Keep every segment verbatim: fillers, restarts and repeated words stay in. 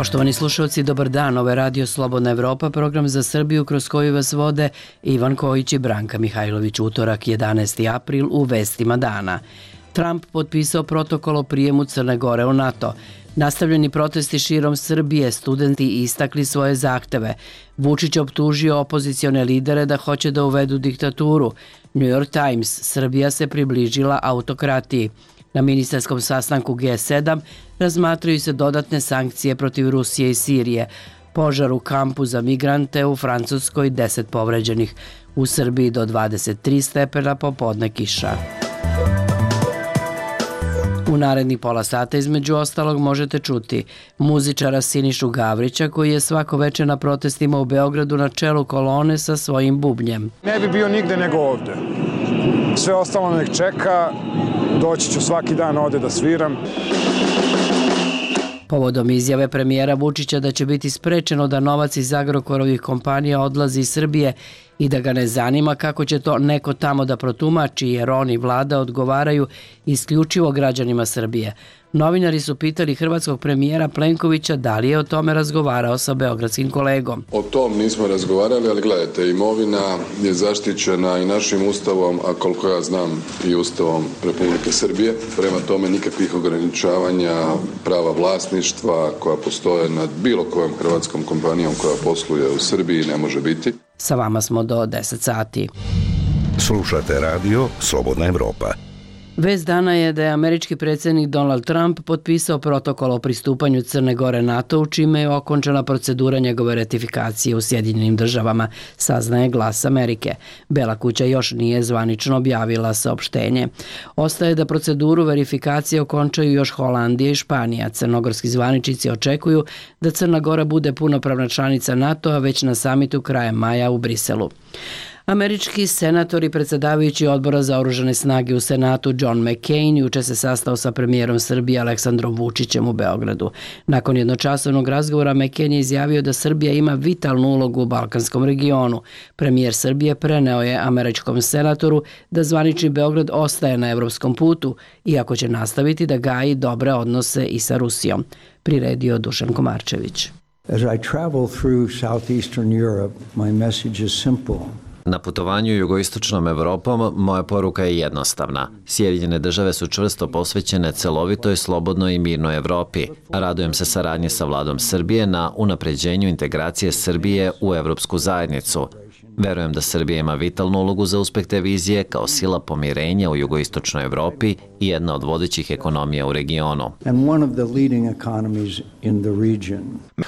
Poštovani slušalci, dobar dan. Ovo je Radio Slobodna Evropa, program za Srbiju kroz koji vas vode Ivan Kojić i Branka Mihajlović. Utorak, jedanaesti april, u vestima dana. Trump potpisao protokol o prijemu Crne Gore u NATO. Nastavljeni protesti širom Srbije, studenti istakli svoje zahteve. Vučić optužio opozicione lidere da hoće da uvedu diktaturu. New York Times, Srbija se približila autokratiji. Na ministarskom sastanku G sedam razmatraju se dodatne sankcije protiv Rusije i Sirije. Požar u kampu za migrante u Francuskoj, deset povređenih. U Srbiji do dvadeset tri stepena, popodne kiša. U narednih pola sata između ostalog možete čuti muzičara Sinišu Gavrića koji je svako veče na protestima u Beogradu na čelu kolone sa svojim bubnjem. Ne bi bio nigde nego ovde. Sve ostalo nek čeka, doći ću svaki dan ovde da sviram. Povodom izjave premijera Vučića da će biti sprečeno da novac iz Agrokorovih kompanija odlazi iz Srbije i da ga ne zanima kako će to neko tamo da protumači, jer on i vlada odgovaraju isključivo građanima Srbije. Novinari su pitali hrvatskog premijera Plenkovića da li je o tome razgovarao sa beogradskim kolegom. O tom nismo razgovarali, ali gledajte, imovina je zaštićena i našim ustavom, a koliko ja znam i ustavom Republike Srbije. Prema tome nikakvih ograničavanja prava vlasništva koja postoje nad bilo kojom hrvatskom kompanijom koja posluje u Srbiji ne može biti. Sa vama smo do deset sati. Slušate radio Slobodna Evropa. Vest dana je da je američki predsjednik Donald Trump potpisao protokol o pristupanju Crne Gore NATO-u, čime je okončana procedura njegove ratifikacije u Sjedinjenim državama, saznaje Glas Amerike. Bela kuća još nije zvanično objavila saopštenje. Ostaje da proceduru verifikacije okončaju još Holandija i Španija. Crnogorski zvaničnici očekuju da Crna Gora bude punopravna članica NATO-a već na samitu krajem maja u Briselu. Američki senator i predsjedavajući odbora za oružane snage u Senatu John McCain juče se sastao sa premijerom Srbije Aleksandrom Vučićem u Beogradu. Nakon jednočasovnog razgovora McCain je izjavio da Srbija ima vitalnu ulogu u balkanskom regionu. Premijer Srbije preneo je američkom senatoru da zvanični Beograd ostaje na evropskom putu, iako će nastaviti da gaji dobre odnose i sa Rusijom. Priredio Dušan Komarčević. As I travel through southeastern Europe, my message is simple. Na putovanju jugoistočnom Evropom moja poruka je jednostavna. Sjedinjene države su čvrsto posvećene celovitoj, slobodnoj i mirnoj Evropi. Radujem se saradnje sa vladom Srbije na unapređenju integracije Srbije u evropsku zajednicu. Verujem da Srbija ima vitalnu ulogu za uspeh te vizije kao sila pomirenja u jugoistočnoj Evropi i jedna od vodećih ekonomija u regionu.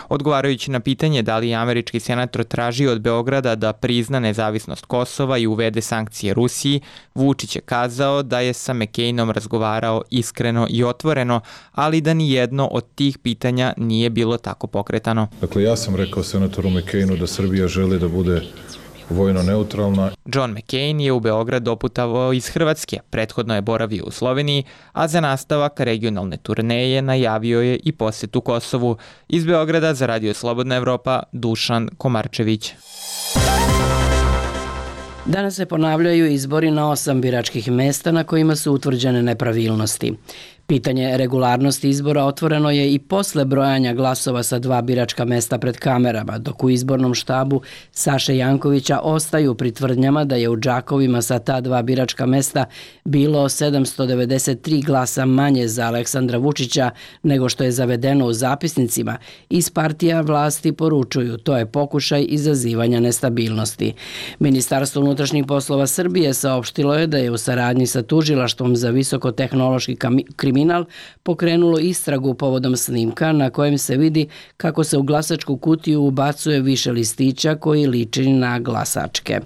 Odgovarajući na pitanje da li je američki senator tražio od Beograda da prizna nezavisnost Kosova i uvede sankcije Rusiji, Vučić je kazao da je sa McCainom razgovarao iskreno i otvoreno, ali da ni jedno od tih pitanja nije bilo tako pokretano. Dakle, ja sam rekao senatoru McCainu da Srbija želi da bude vojno neutralna. John McCain je u Beograd doputovao iz Hrvatske, prethodno je boravio u Sloveniji, a za nastavak regionalne turneje najavio je i posjetu Kosovu. Iz Beograda za Radio Slobodna Evropa, Dušan Komarčević. Danas se ponavljaju izbori na osam biračkih mesta na kojima su utvrđene nepravilnosti. Pitanje regularnosti izbora otvoreno je i posle brojanja glasova sa dva biračka mesta pred kamerama, dok u izbornom štabu Saše Jankovića ostaju pri tvrdnjama da je u džakovima sa ta dva biračka mesta bilo sedamsto devedeset tri glasa manje za Aleksandra Vučića nego što je zavedeno u zapisnicima. Iz partija vlasti poručuju, to je pokušaj izazivanja nestabilnosti. Ministarstvo unutrašnjih poslova Srbije saopštilo je da je u saradnji sa tužilaštvom za visokotehnološki kriminal pokrenulo istragu povodom snimka na kojem se vidi kako se u glasačku kutiju ubacuje više listića koji liči na glasačke.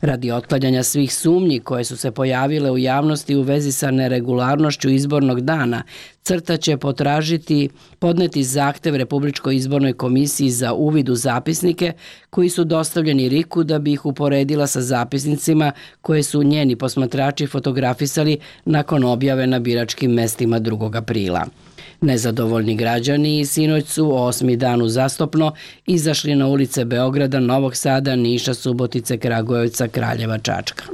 Radi otklanjanja svih sumnji koje su se pojavile u javnosti u vezi sa neregularnošću izbornog dana, CRTA će potražiti, podneti zahtev Republičkoj izbornoj komisiji za uvid u zapisnike koji su dostavljeni RIK-u da bi ih uporedila sa zapisnicima koje su njeni posmatrači fotografisali nakon objave na biračkim mestima drugog aprila. Nezadovoljni građani sinoć su osmi dan uzastopno izašli na ulice Beograda, Novog Sada, Niša, Subotice, Kragujevca, Kraljeva, Čačka.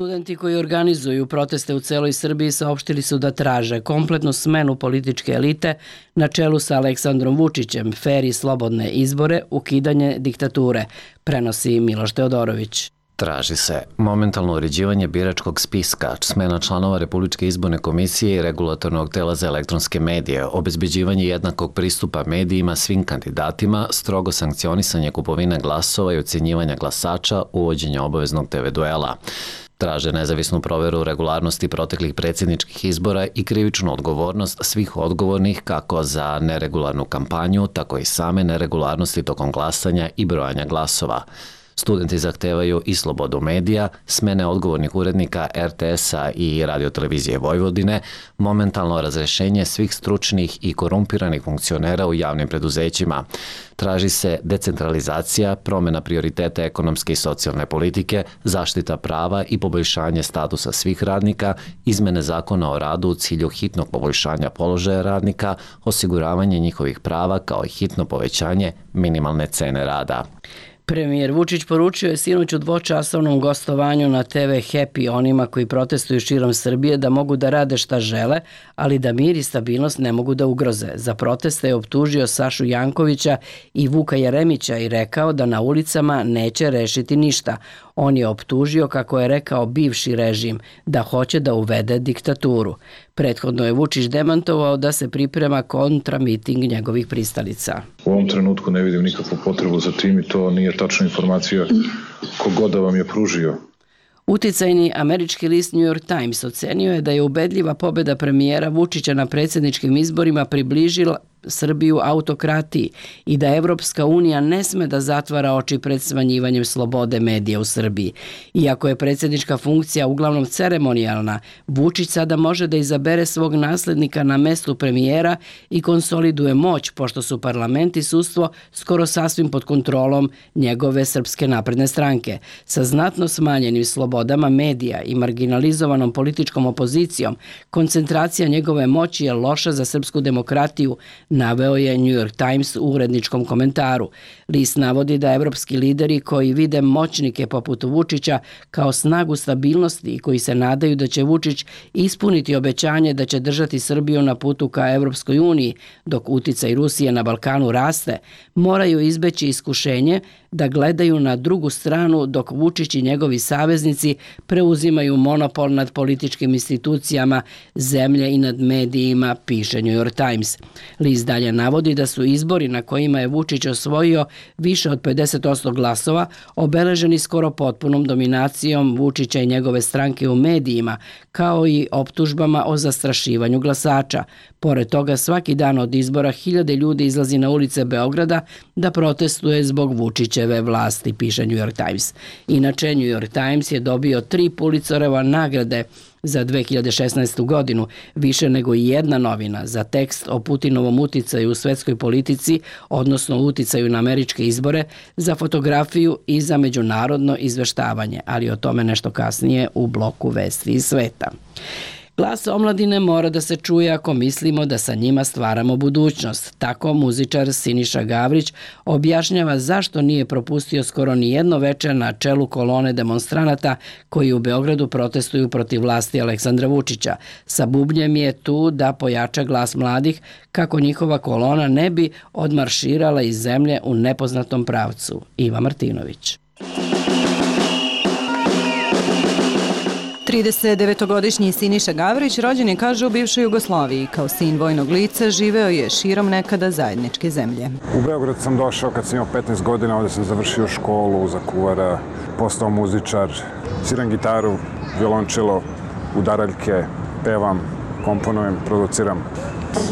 Studenti koji organizuju proteste u celoj Srbiji saopštili su da traže kompletnu smenu političke elite na čelu sa Aleksandrom Vučićem, fer i slobodne izbore, ukidanje diktature, prenosi Miloš Teodorović. Traži se momentalno uređivanje biračkog spiska, smena članova Republičke izborne komisije i regulatornog tela za elektronske medije, obezbeđivanje jednakog pristupa medijima svim kandidatima, strogo sankcionisanje kupovine glasova i ocenjivanja glasača, uvođenje obaveznog te ve duela. Traže nezavisnu proveru regularnosti proteklih predsjedničkih izbora i krivičnu odgovornost svih odgovornih kako za neregularnu kampanju, tako i same neregularnosti tokom glasanja i brojanja glasova. Studenti zahtevaju i slobodu medija, smene odgovornih urednika er te esa i Radiotelevizije Vojvodine, momentalno razrešenje svih stručnih i korumpiranih funkcionera u javnim preduzećima. Traži se decentralizacija, promjena prioriteta ekonomske i socijalne politike, zaštita prava i poboljšanje statusa svih radnika, izmene zakona o radu u cilju hitnog poboljšanja položaja radnika, osiguravanje njihovih prava kao i hitno povećanje minimalne cene rada. Premijer Vučić poručio je sinoć u dvočasovnom gostovanju na te ve Happy onima koji protestuju širom Srbije da mogu da rade šta žele, ali da mir i stabilnost ne mogu da ugroze. Za proteste je optužio Sašu Jankovića i Vuka Jeremića i rekao da na ulicama neće rešiti ništa. On je optužio, kako je rekao bivši režim, da hoće da uvede diktaturu. Prethodno je Vučić demantovao da se priprema kontramiting njegovih pristalica. U ovom trenutku ne vidim nikakvu potrebu za tim i to nije tačna informacija kogoda vam je pružio. Uticajni američki list New York Times ocenio je da je ubedljiva pobjeda premijera Vučića na predsjedničkim izborima približila Srbiju autokratiji i da Evropska unija ne sme da zatvara oči pred smanjivanjem slobode medija u Srbiji. Iako je predsjednička funkcija uglavnom ceremonijalna, Vučić sada može da izabere svog naslednika na mestu premijera i konsoliduje moć, pošto su parlament i sudstvo skoro sasvim pod kontrolom njegove Srpske napredne stranke. Sa znatno smanjenim slobodama medija i marginalizovanom političkom opozicijom, koncentracija njegove moći je loša za srpsku demokratiju, naveo je New York Times u uredničkom komentaru. List navodi da evropski lideri koji vide moćnike poput Vučića kao snagu stabilnosti i koji se nadaju da će Vučić ispuniti obećanje da će držati Srbiju na putu ka Evropskoj uniji, dok uticaj Rusije na Balkanu raste, moraju izbeći iskušenje da gledaju na drugu stranu dok Vučić i njegovi saveznici preuzimaju monopol nad političkim institucijama zemlje i nad medijima, piše New York Times. List dalje navodi da su izbori na kojima je Vučić osvojio više od pedeset posto glasova obeleženi skoro potpunom dominacijom Vučića i njegove stranke u medijima, kao i optužbama o zastrašivanju glasača. Pored toga, svaki dan od izbora hiljade ljudi izlazi na ulice Beograda da protestuje zbog Vučićeve vlasti, piše New York Times. Inače, New York Times je dobio tri Pulitzerove nagrade za dve hiljade šesnaestu godinu, više nego i jedna novina za tekst o Putinovom uticaju u svetskoj politici, odnosno uticaju na američke izbore, za fotografiju i za međunarodno izveštavanje, ali o tome nešto kasnije u bloku Vesti iz sveta. Glas omladine mora da se čuje ako mislimo da sa njima stvaramo budućnost. Tako muzičar Siniša Gavrić objašnjava zašto nije propustio skoro ni jedno veče na čelu kolone demonstranata koji u Beogradu protestuju protiv vlasti Aleksandra Vučića. Sa bubnjem je tu da pojača glas mladih kako njihova kolona ne bi odmarširala iz zemlje u nepoznatom pravcu. Iva Martinović. tridesetdevetogodišnji Siniša Gavrić rođen je, kaže, u bivšoj Jugoslaviji. Kao sin vojnog lica živeo je širom nekada zajedničke zemlje. U Beograd sam došao kad sam imao petnaest godina, ovdje sam završio školu za kuvara, postao muzičar, sviram gitaru, violončelo, udaraljke, pevam, komponujem, produciram.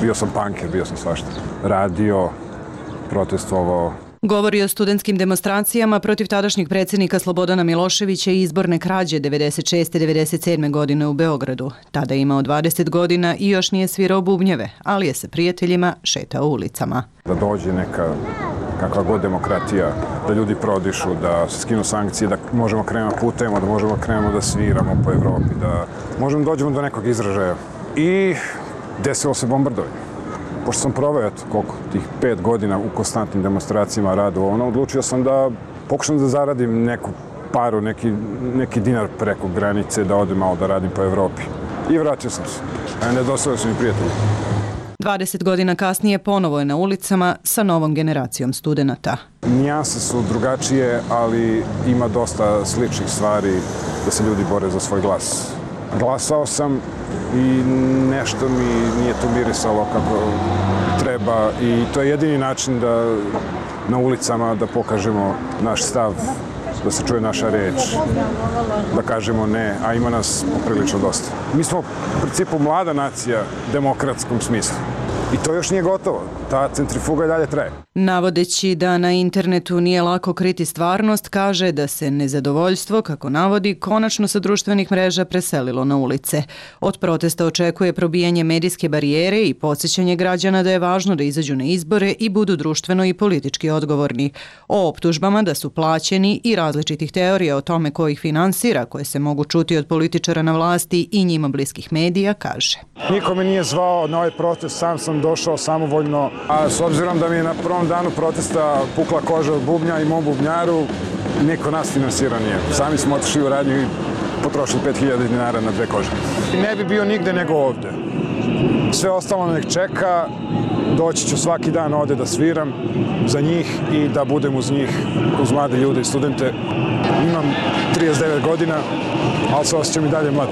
Bio sam punker, bio sam svašta. Radio, protestovao. Govori o studentskim demonstracijama protiv tadašnjeg predsjednika Slobodana Miloševića i izborne krađe devedeset šeste devedeset sedme godine u Beogradu. Tada je imao dvadeset godina i još nije svirao bubnjeve, ali je sa prijateljima šetao ulicama. Da dođe neka kakva god demokratija, da ljudi prodišu, da se skinu sankcije, da možemo krenemo putujemo, da možemo krenemo da sviramo po Evropi, da možemo dođemo do nekog izražaja. I desilo se bombardovanje. Pošto sam proveo, eto, koliko, tih pet godina u konstantnim demonstracijama radu, ono, odlučio sam da pokušam da zaradim neku paru, neki, neki dinar preko granice da odem malo da radim po Evropi. I vratio sam se. A nedostali su mi prijatelji. dvadeset godina kasnije ponovo je na ulicama sa novom generacijom studenata. Nijanse su drugačije, ali ima dosta sličnih stvari da se ljudi bore za svoj glas. Glasao sam i nešto mi nije to mirisalo kako treba i to je jedini način da na ulicama da pokažemo naš stav, da se čuje naša reč, da kažemo ne, a ima nas poprilično dosta. Mi smo u principu mlada nacija u demokratskom smislu. I to još nije gotovo. Ta centrifuga i dalje traje. Navodeći da na internetu nije lako kriti stvarnost, kaže da se nezadovoljstvo, kako navodi, konačno sa društvenih mreža preselilo na ulice. Od protesta očekuje probijanje medijske barijere i podsjećanje građana da je važno da izađu na izbore i budu društveno i politički odgovorni. O optužbama da su plaćeni i različitih teorija o tome ko ih finansira, koje se mogu čuti od političara na vlasti i njima bliskih medija, kaže. Niko me nije zvao na ovaj protest, sam sam došao samovoljno, a s obzirom da mi je na prvom danu protesta pukla koža od bubnja i mom bubnjaru, niko nas finansira nije. Sami smo otišli u radnju i potrošili pet hiljada dinara na dve kože. Ne bi bio nigde nego ovde. Sve ostalo nek čeka, doći ću svaki dan ovde da sviram za njih i da budem uz njih, uz mlade ljude i studente. Imam trideset devet godina, ali se osjećam i dalje mlad.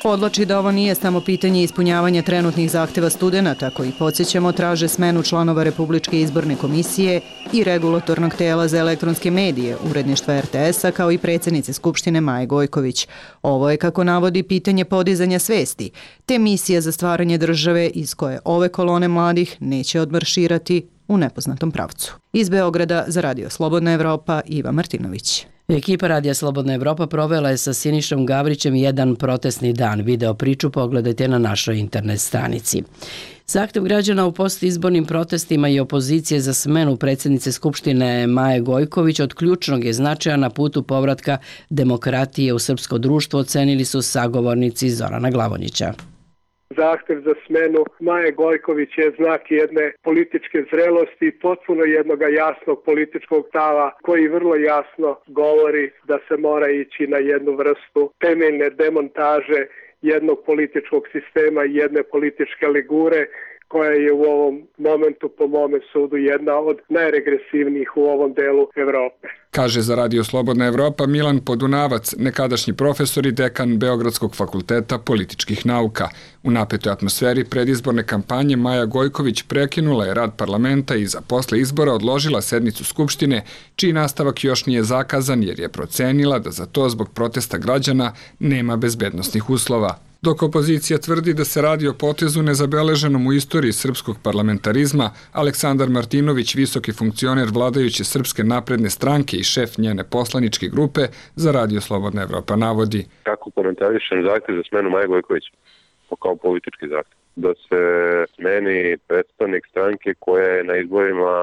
Podlači da ovo nije samo pitanje ispunjavanja trenutnih zahteva studenata koji, podsjećamo, traže smenu članova Republičke izborne komisije i regulatornog tela za elektronske medije, uredništva er te es-a, kao i predsjednice Skupštine Maje Gojković. Ovo je, kako navodi, pitanje podizanja svesti, te misija za stvaranje države iz koje ove kolone mladih neće odmarširati u nepoznatom pravcu. Iz Beograda za Radio Slobodna Evropa, Iva Martinović. Ekipa Radija Slobodna Evropa provela je sa Sinišom Gavrićem jedan protestni dan. Video priču pogledajte na našoj internet stranici. Zahtev građana u postizbornim protestima i opozicije za smenu predsjednice Skupštine Maje Gojković od ključnog je značaja na putu povratka demokratije u srpsko društvo, ocenili su sagovornici Zorana Glavonjića. Zahtev za smenu Maje Gojković je znak jedne političke zrelosti, potpuno jednog jasnog političkog stava koji vrlo jasno govori da se mora ići na jednu vrstu temeljne demontaže jednog političkog sistema i jedne političke ligure koja je u ovom momentu, po mome sudu, jedna od najregresivnijih u ovom delu Evrope. Kaže za Radio Slobodna Evropa Milan Podunavac, nekadašnji profesor i dekan Beogradskog fakulteta političkih nauka. U napetoj atmosferi predizborne kampanje Maja Gojković prekinula je rad parlamenta i za posle izbora odložila sednicu Skupštine, čiji nastavak još nije zakazan jer je procenila da za to zbog protesta građana nema bezbednosnih uslova. Dok opozicija tvrdi da se radi o potezu nezabeleženom u istoriji srpskog parlamentarizma, Aleksandar Martinović, visoki funkcioner vladajuće Srpske napredne stranke i šef njene poslaničke grupe, za Radio Slobodna Evropa navodi. Kako komentarišem zahtev za smenu Maje Gojković? Kao politički zahtev. Da se smeni predstavnik stranke koja je na izborima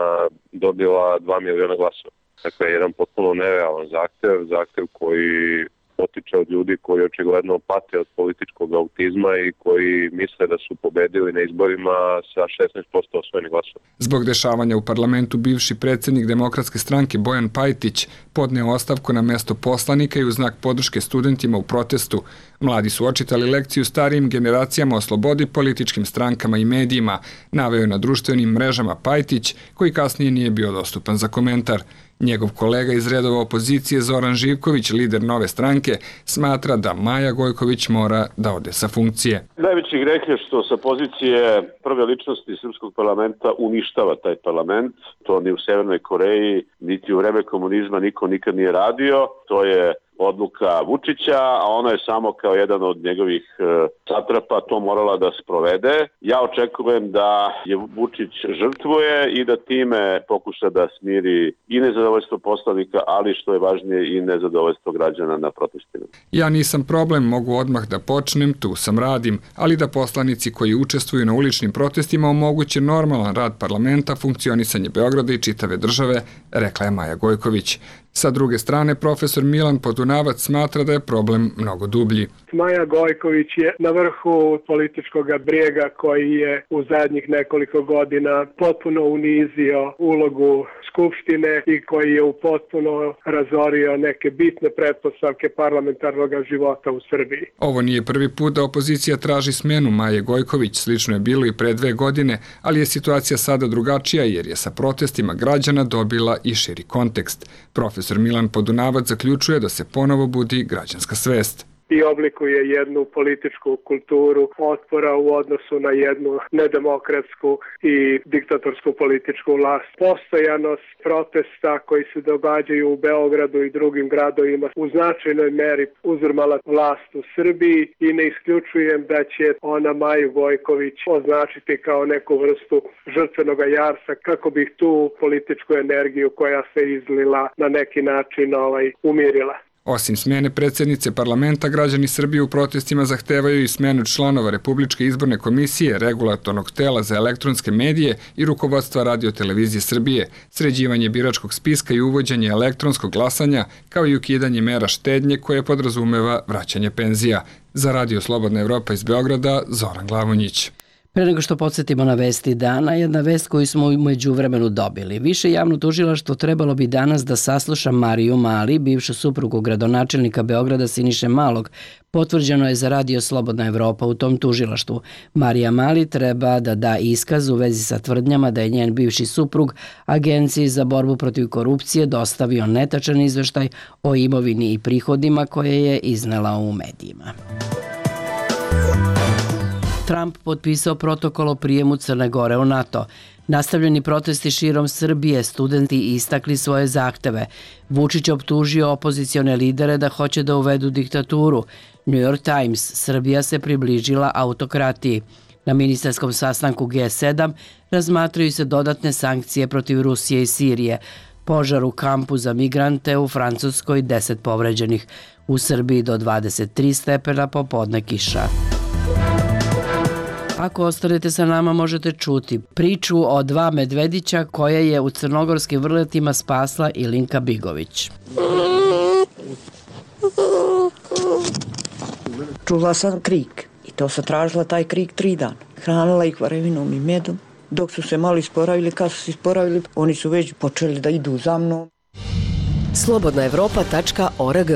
dobila dva miliona glasova. Dakle, jedan potpuno nerealan zahtev, zahtev koji potiče od ljudi koji očigledno pate od političkog autizma i koji misle da su pobedili na izborima sa šesnaest posto osvojenih glasova. Zbog dešavanja u parlamentu bivši predsjednik Demokratske stranke Bojan Pajtić podneo ostavku na mesto poslanika i u znak podrške studentima u protestu. Mladi su očitali lekciju starijim generacijama o slobodi, političkim strankama i medijima, naveo na društvenim mrežama Pajtić, koji kasnije nije bio dostupan za komentar. Njegov kolega iz redova opozicije Zoran Živković, lider Nove stranke, smatra da Maja Gojković mora da ode sa funkcije. Najveći greh je što sa pozicije prve ličnosti srpskog parlamenta uništava taj parlament. To ni u Severnoj Koreji, niti u vreme komunizma niko nikad nije radio. To je odluka Vučića, a ona je samo kao jedan od njegovih satrapa to morala da sprovede. Ja očekujem da je Vučić žrtvuje i da time pokuša da smiri i nezadovoljstvo poslanika, ali što je važnije i nezadovoljstvo građana na protestima. Ja nisam problem, mogu odmah da počnem, tu sam radim, ali da poslanici koji učestvuju na uličnim protestima omoguće normalan rad parlamenta, funkcionisanje Beograda i čitave države, rekla je Maja Gojković. Sa druge strane, profesor Milan Podunavac smatra da je problem mnogo dublji. Maja Gojković je na vrhu političkog brijega koji je u zadnjih nekoliko godina potpuno unizio ulogu Skupštine i koji je u potpuno razorio neke bitne pretpostavke parlamentarnog života u Srbiji. Ovo nije prvi put da opozicija traži smenu Maje Gojković, slično je bilo i pre dve godine, ali je situacija sada drugačija jer je sa protestima građana dobila i širi kontekst. Profesor Milan Podunavac zaključuje da se ponovo budi građanska svest i oblikuje jednu političku kulturu otpora u odnosu na jednu nedemokratsku i diktatorsku političku vlast. Postojanost protesta koji se događaju u Beogradu i drugim gradovima u značajnoj meri uzurmala vlast u Srbiji i ne isključujem da će ona Maju Gojković označiti kao neku vrstu žrtvenog jarsa kako bi tu političku energiju koja se izlila na neki način ovaj, umirila. Osim smene predsjednice parlamenta, građani Srbije u protestima zahtevaju i smenu članova Republičke izborne komisije, regulatornog tela za elektronske medije i rukovodstva Radio-televizije Srbije, sređivanje biračkog spiska i uvođenje elektronskog glasanja, kao i ukidanje mera štednje koje podrazumeva vraćanje penzija. Za Radio Slobodna Evropa iz Beograda, Zoran Glavonjić. Pre nego što podsjetimo na vesti dana, jedna vest koju smo u međuvremenu dobili. Više javno tužilaštvo trebalo bi danas da sasluša Mariju Mali, bivšu suprugu gradonačelnika Beograda Siniše Malog. Potvrđeno je za Radio Slobodna Evropa u tom tužilaštvu. Marija Mali treba da da iskaz u vezi sa tvrdnjama da je njen bivši suprug Agenciji za borbu protiv korupcije dostavio netačan izveštaj o imovini i prihodima koje je iznela u medijima. Trump potpisao protokol o prijemu Crne Gore u NATO. Nastavljeni protesti širom Srbije, studenti istakli svoje zahteve. Vučić optužio opozicione lidere da hoće da uvedu diktaturu. New York Times, Srbija se približila autokratiji. Na ministarskom sastanku G sedam razmatraju se dodatne sankcije protiv Rusije i Sirije. Požar u kampu za migrante u Francuskoj, deset povređenih. U Srbiji do dvadeset tri stepena, popodne kiša. Ako ostanete sa nama, možete čuti priču o dva medvedića koje je u crnogorskim vrletima spasla Ilinka Bigović. Čula sam krik i to sam tražila taj krik tri dana. Hranila ih varevinom i medom. Dok su se malo isporavili, kad su se isporavili, oni su već počeli da idu za mnom. slobodna evropa tačka org.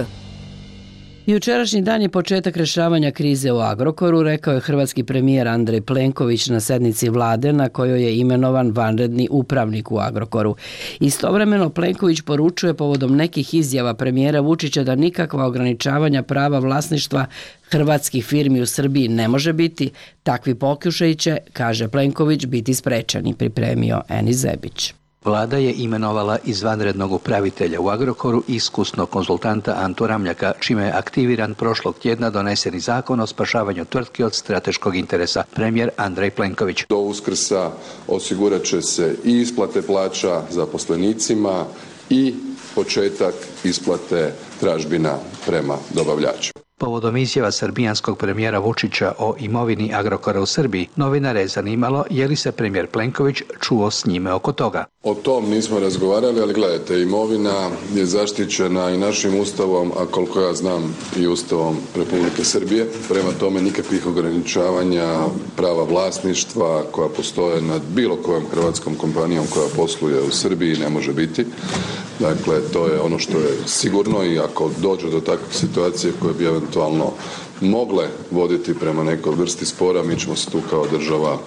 Jučerašnji dan je početak rešavanja krize u Agrokoru, rekao je hrvatski premijer Andrej Plenković na sednici vlade na kojoj je imenovan vanredni upravnik u Agrokoru. Istovremeno Plenković poručuje povodom nekih izjava premijera Vučića da nikakva ograničavanja prava vlasništva hrvatskih firmi u Srbiji ne može biti. Takvi pokušaji će, kaže Plenković, biti sprečeni, pripremio Eni Zebić. Vlada je imenovala izvanrednog upravitelja u Agrokoru iskusnog konzultanta Antu Ramljaka, čime je aktiviran prošlog tjedna doneseni zakon o spašavanju tvrtki od strateškog interesa, premijer Andrej Plenković. Do Uskrsa osigurat će se i isplate plaća zaposlenicima i početak isplate tražbina prema dobavljačima. Povodom izjava srbijanskog premijera Vučića o imovini Agrokora u Srbiji, novinare je zanimalo je li se premijer Plenković čuo s njime oko toga. O tom nismo razgovarali, ali gledajte, imovina je zaštićena i našim ustavom, a koliko ja znam i ustavom Republike Srbije. Prema tome nikakvih ograničavanja prava vlasništva koja postoje nad bilo kojom hrvatskom kompanijom koja posluje u Srbiji ne može biti. Dakle, to je ono što je sigurno i ako dođe do takve situacije koje bi eventualno mogle voditi prema nekoj vrsti spora, mi ćemo se tu kao država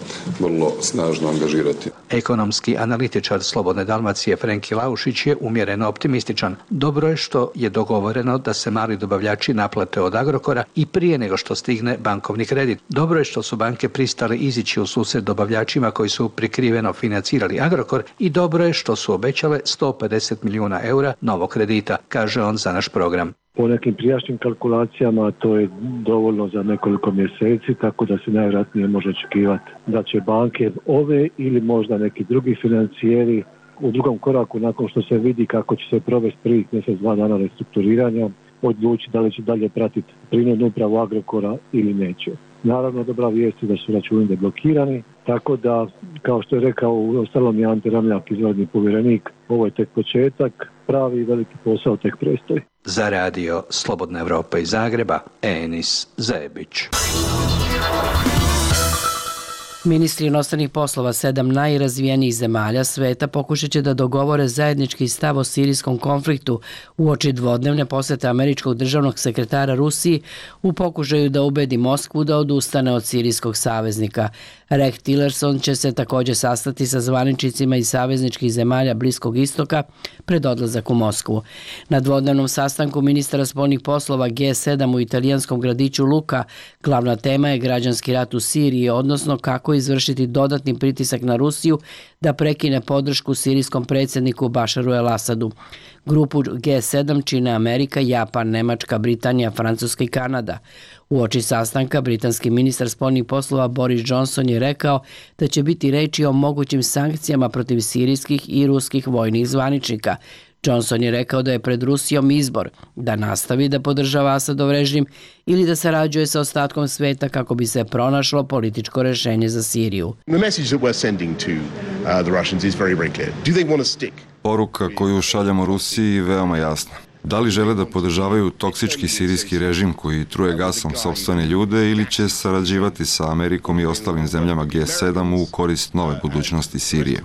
vrlo snažno angažirati. Ekonomski analitičar Slobodne Dalmacije Frenki Laušić je umjereno optimističan. Dobro je što je dogovoreno da se mali dobavljači naplate od Agrokora i prije nego što stigne bankovni kredit. Dobro je što su banke pristale izići u susret dobavljačima koji su prikriveno financirali Agrokor i dobro je što su obećale sto pedeset milijuna eura novog kredita, kaže on za naš program. Po nekim prijašnjim kalkulacijama to je dovoljno za nekoliko mjeseci, tako da se najvjerojatnije može očekivati da će banke ove ili možda neki drugi financijeri u drugom koraku nakon što se vidi kako će se provesti prvih mjesec, dva dana restrukturiranja, odlučiti da li će dalje pratiti prinudnu upravu Agrokora ili neće. Naravno, dobra vijest je da su računi deblokirani, tako da, kao što je rekao u ostalom i Ante Ramljak, izvanredni povjerenik, ovo je tek početak. pravi veliki posao tek predstoji. Za radio Slobodna Evropa iz Zagreba, Enis Zebić. Ministri inostranih poslova sedam najrazvijenijih zemalja sveta pokušat će da dogovore zajednički stav o sirijskom konfliktu uoči dvodnevne posete američkog državnog sekretara Rusiji u pokušaju da ubedi Moskvu da odustane od sirijskog saveznika. Rex Tillerson će se također sastati sa zvaničnicima iz savezničkih zemalja Bliskog istoka pred odlazak u Moskvu. Na dvodnevnom sastanku ministara spoljnih poslova G sedam u italijanskom gradiću Luka glavna tema je građanski rat u Siriji, odnosno kako izvršiti dodatni pritisak na Rusiju da prekine podršku sirijskom predsjedniku Bašaru el-Asadu. Grupu G sedam čine Amerika, Japan, Nemačka, Britanija, Francuska i Kanada. Uoči sastanka britanski ministar spoljnih poslova Boris Johnson je rekao da će biti reči o mogućim sankcijama protiv sirijskih i ruskih vojnih zvaničnika. Johnson je rekao da je pred Rusijom izbor da nastavi da podržava Asadov režim ili da sarađuje sa ostatkom sveta kako bi se pronašlo političko rešenje za Siriju. Poruka koju šaljamo Rusiji je veoma jasna. Da li žele da podržavaju toksički sirijski režim koji truje gasom sopstvene ljude ili će sarađivati sa Amerikom i ostalim zemljama G sedam u korist nove budućnosti Sirije?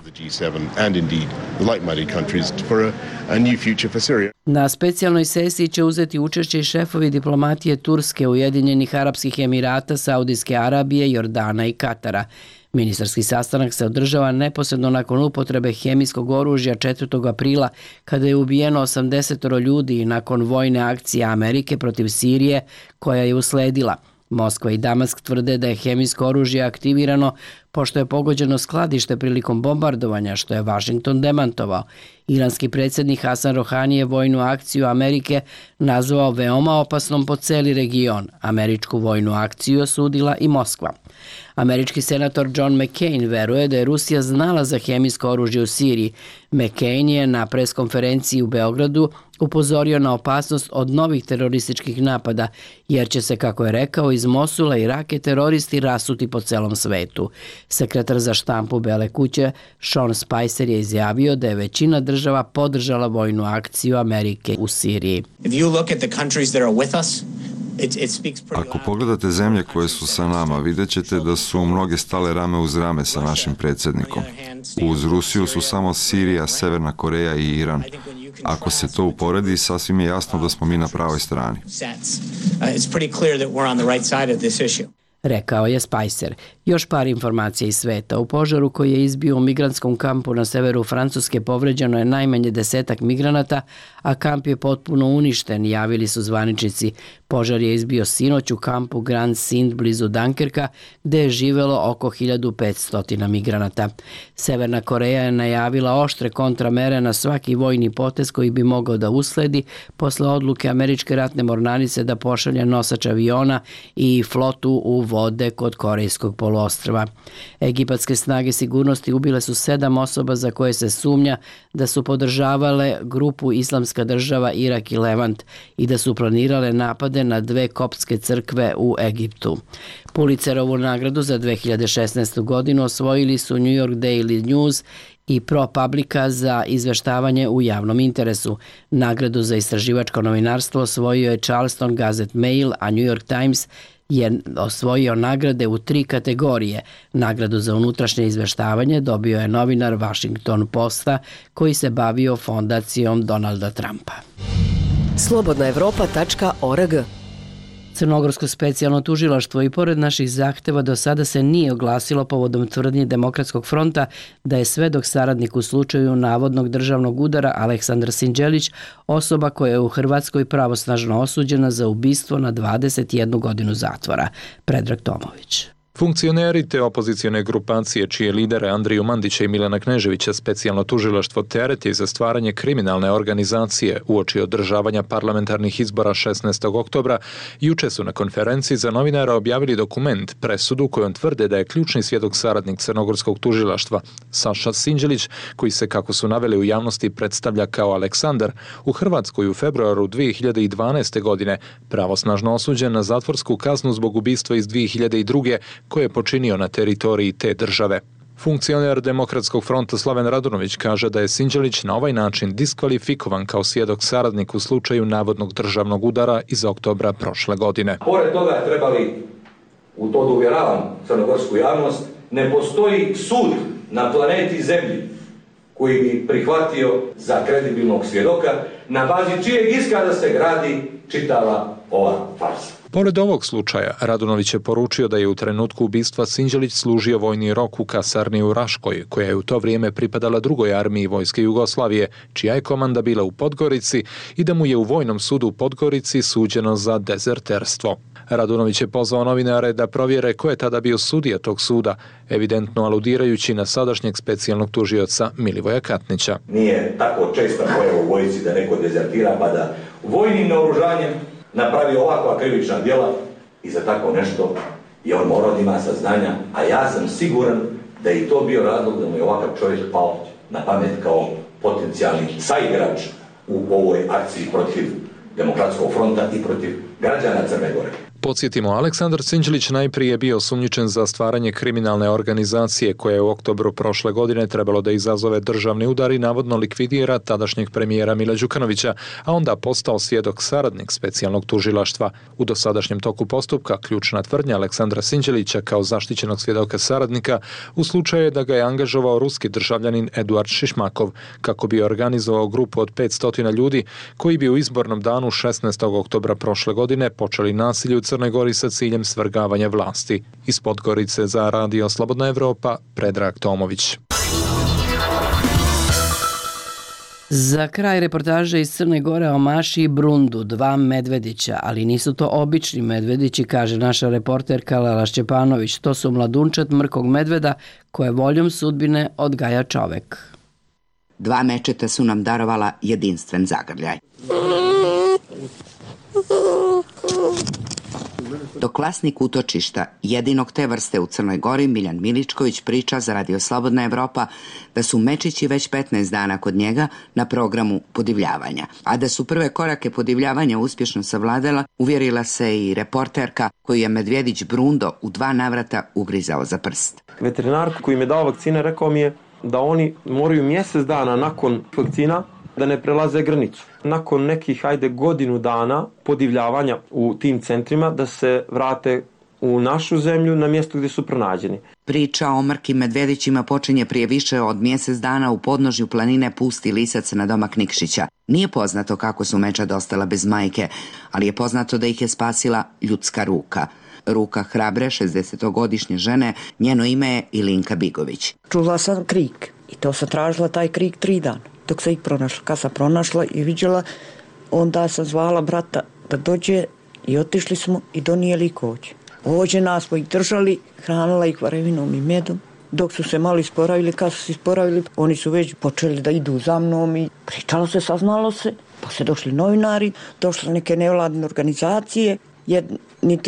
Na specijalnoj sesiji će uzeti učešće i šefovi diplomatije Turske, Ujedinjenih Arapskih Emirata, Saudijske Arabije, Jordana i Katara. Ministarski sastanak se održava neposredno nakon upotrebe hemijskog oružja četvrtog aprila kada je ubijeno osamdeset ljudi i nakon vojne akcije Amerike protiv Sirije koja je usledila. Moskva i Damask tvrde da je hemijsko oružje aktivirano pošto je pogođeno skladište prilikom bombardovanja, što je Washington demantovao. Iranski predsjednik Hasan Rohani je vojnu akciju Amerike nazvao veoma opasnom po celi region. Američku vojnu akciju osudila i Moskva. Američki senator John McCain veruje da je Rusija znala za hemijsko oružje u Siriji. McCain je na preskonferenciji u Beogradu upozorio na opasnost od novih terorističkih napada, jer će se, kako je rekao, iz Mosula i Rake teroristi rasuti po celom svetu. Sekretar za štampu Bele kuće Sean Spicer je izjavio da je većina država podržala vojnu akciju Amerike u Siriji. Ako pogledate zemlje koje su sa nama, vidjet ćete da su mnoge stale rame uz rame sa našim predsjednikom. Uz Rusiju su samo Sirija, Severna Koreja i Iran. Ako se to uporedi, sasvim je jasno da smo mi na pravoj strani. Rekao je Spicer. Još par informacija iz sveta. U požaru koji je izbio u migrantskom kampu na severu Francuske povređeno je najmanje desetak migranata, a kamp je potpuno uništen, javili su zvaničnici. Požar je izbio sinoć u kampu Grand Sint blizu Dunkerka, gde je živelo oko hiljadu petsto migranata. Severna Koreja je najavila oštre kontramere na svaki vojni potez koji bi mogao da usledi posle odluke američke ratne mornarice da pošalje nosač aviona i flotu u vode kod Korejskog poluostrva. Egipatske snage sigurnosti ubile su sedam osoba za koje se sumnja da su podržavale grupu Islamska država Irak i Levant i da su planirale napade na dve koptske crkve u Egiptu. Pulitzerovu nagradu za dve hiljade šesnaestu. godinu osvojili su New York Daily News i ProPublica za izveštavanje u javnom interesu. Nagradu za istraživačko novinarstvo osvojio je Charleston Gazette Mail, a New York Times je osvojio nagrade u tri kategorije. Nagradu za unutrašnje izveštavanje dobio je novinar Washington Posta koji se bavio fondacijom Donalda Trumpa. slobodna evropa tačka org. Crnogorsko specijalno tužilaštvo i pored naših zahteva do sada se nije oglasilo povodom tvrdnje Demokratskog fronta da je svedok saradnik u slučaju navodnog državnog udara Aleksandar Sinđelić, osoba koja je u Hrvatskoj pravosnažno osuđena za ubistvo na dvadeset jednu godinu zatvora. Predrag Tomović. Funkcioneri te opozicione grupacije čije lidere Andriju Mandića i Milana Kneževića specijalno tužilaštvo tereti za stvaranje kriminalne organizacije uoči održavanja parlamentarnih izbora šesnaestog oktobra, juče su na konferenciji za novinara objavili dokument, presudu kojom tvrde da je ključni svjedok saradnik crnogorskog tužilaštva Saša Sinđelić, koji se, kako su naveli u javnosti, predstavlja kao Aleksandar, u Hrvatskoj u februaru dvije hiljade dvanaeste. godine pravosnažno osuđen na zatvorsku kaznu zbog ubistva iz dvije hiljade druge. koje je počinio na teritoriji te države. Funkcioner Demokratskog fronta Slaven Radunović kaže da je Sinđelić na ovaj način diskvalifikovan kao svjedok saradnik u slučaju navodnog državnog udara iz oktobra prošle godine. Pored toga trebali, u to da uvjeravam crnogorsku javnost, ne postoji sud na planeti Zemlji koji bi prihvatio za kredibilnog svjedoka na bazi čijeg iskaza se gradi čitava ova farsa. Pored ovog slučaja, Radunović je poručio da je u trenutku ubistva Sinđelić služio vojni rok u kasarni u Raškoj, koja je u to vrijeme pripadala drugoj armiji Vojske Jugoslavije, čija je komanda bila u Podgorici i da mu je u Vojnom sudu u Podgorici suđeno za dezerterstvo. Radunović je pozvao novinare da provjere ko je tada bio sudija tog suda, evidentno aludirajući na sadašnjeg specijalnog tužioca Milivoja Katnića. Nije tako česta pojava u vojsci da neko dezertira pa da vojnim naoružanjem napravi ovakva krivična djela i za tako nešto je on morao da ima saznanja, a ja sam siguran da je i to bio razlog da mu je ovakav čovjek pao na pamet kao potencijalni saigrač u ovoj akciji protiv Demokratskog fronta i protiv građana Crne Gore. Podsjetimo, Aleksandar Sinđelić najprije je bio osumnjičen za stvaranje kriminalne organizacije koja je u oktobru prošle godine trebalo da izazove državni udar i navodno likvidira tadašnjeg premijera Mila Đukanovića, a onda postao svjedok saradnik specijalnog tužilaštva. U dosadašnjem toku postupka ključna tvrdnja Aleksandra Sinđelića kao zaštićenog svjedoka saradnika u slučaju je da ga je angažovao ruski državljanin Eduard Šišmakov kako bi organizovao grupu od petsto ljudi koji bi u izbornom danu šesnaestog oktobra prošle godine počeli nasilje u Crnoj Gori sa ciljem svrgavanja vlasti. Iz Podgorice za Radio Slobodna Evropa, Predrag Tomović. Za kraj reportaže iz Crne Gore o Maši i Brundu, dva medvedića, ali nisu to obični medvedići, kaže naša reporterka Lela Šćepanović. To su mladunčad mrkog medveda koje voljom sudbine odgaja čovek. Dva mečeta su nam darovala jedinstven zagrljaj. Dok vlasnik utočišta, jedinog te vrste u Crnoj Gori, Miljan Miličković, priča za Radio Slobodna Evropa da su mečići već petnaest dana kod njega na programu podivljavanja. A da su prve korake podivljavanja uspješno savladala, uvjerila se i reporterka koju je medvjedić Brundo u dva navrata ugrizao za prst. Veterinar koji mi je dao vakcine rekao mi je da oni moraju mjesec dana nakon vakcina da ne prelaze granicu. Nakon nekih, ajde, godinu dana podivljavanja u tim centrima da se vrate u našu zemlju na mjesto gdje su pronađeni. Priča o mrkim medvedićima počinje prije više od mjesec dana u podnožju planine Pusti Lisac na domak Nikšića. Nije poznato kako su mečad ostala bez majke, ali je poznato da ih je spasila ljudska ruka. Ruka hrabre šezdesetogodišnje žene, njeno ime je Ilinka Bigović. Čula sam krik i to sam tražila taj krik tri dana. Dok sam ih pronašla. Kad sam pronašla i vidjela, onda sam zvala brata da dođe i otišli smo i donijeli kođe. Ođe nas smo ih držali, hranila ih varevinom i medom. Dok su se malo isporavili, kad su se isporavili, oni su već počeli da idu za mnom i pričalo se, saznalo se. Pa se došli novinari, došle neke nevladne organizacije. Jedni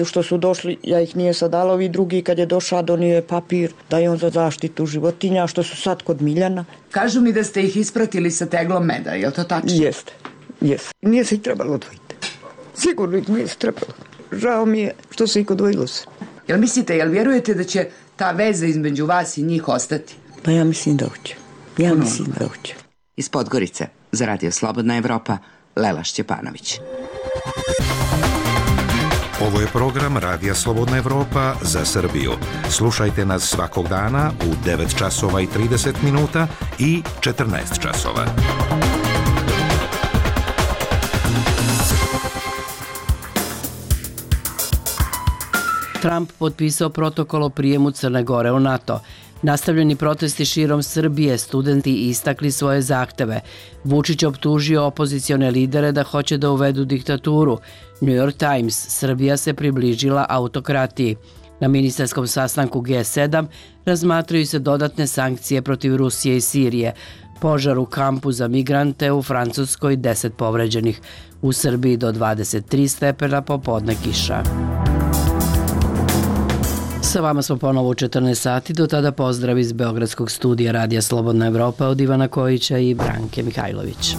što su došli, ja ih nije sadala, ovi drugi kad je došao donio je papir da je on za zaštitu životinja, što su sad kod Miljana. Kažu mi da ste ih ispratili sa teglom meda, je li to tačno? Jeste, jeste. Nije se ih trebalo odvojiti. Sigurno ih nije se trebalo. Žao mi je što se ih odvojilo se. Jel mislite, jel vjerujete da će ta veza između vas i njih ostati? Pa ja mislim da hoće. Ja mislim da hoće. Iz Podgorice, za Radio Slobodna Evropa, Lela Šćepanović. Ovo je program Radija Slobodna Evropa za Srbiju. Slušajte nas svakog dana u devet časova i trideset minuta i četrnaest časova. Trump potpisao protokol o prijemu Crne Gore u NATO. Nastavljeni protesti širom Srbije, studenti istakli svoje zahteve. Vučić optužio opozicione lidere da hoće da uvedu diktaturu. New York Times, Srbija se približila autokratiji. Na ministarskom sastanku G sedam razmatraju se dodatne sankcije protiv Rusije i Sirije. Požar u kampu za migrante u Francuskoj, deset povređenih. U Srbiji do dvadeset tri stepena, popodne kiša. Sa vama smo ponovo u četrnaest sati, do tada pozdrav iz Beogradskog studija Radija Slobodna Evropa od Ivana Kojića i Branke Mihajlović.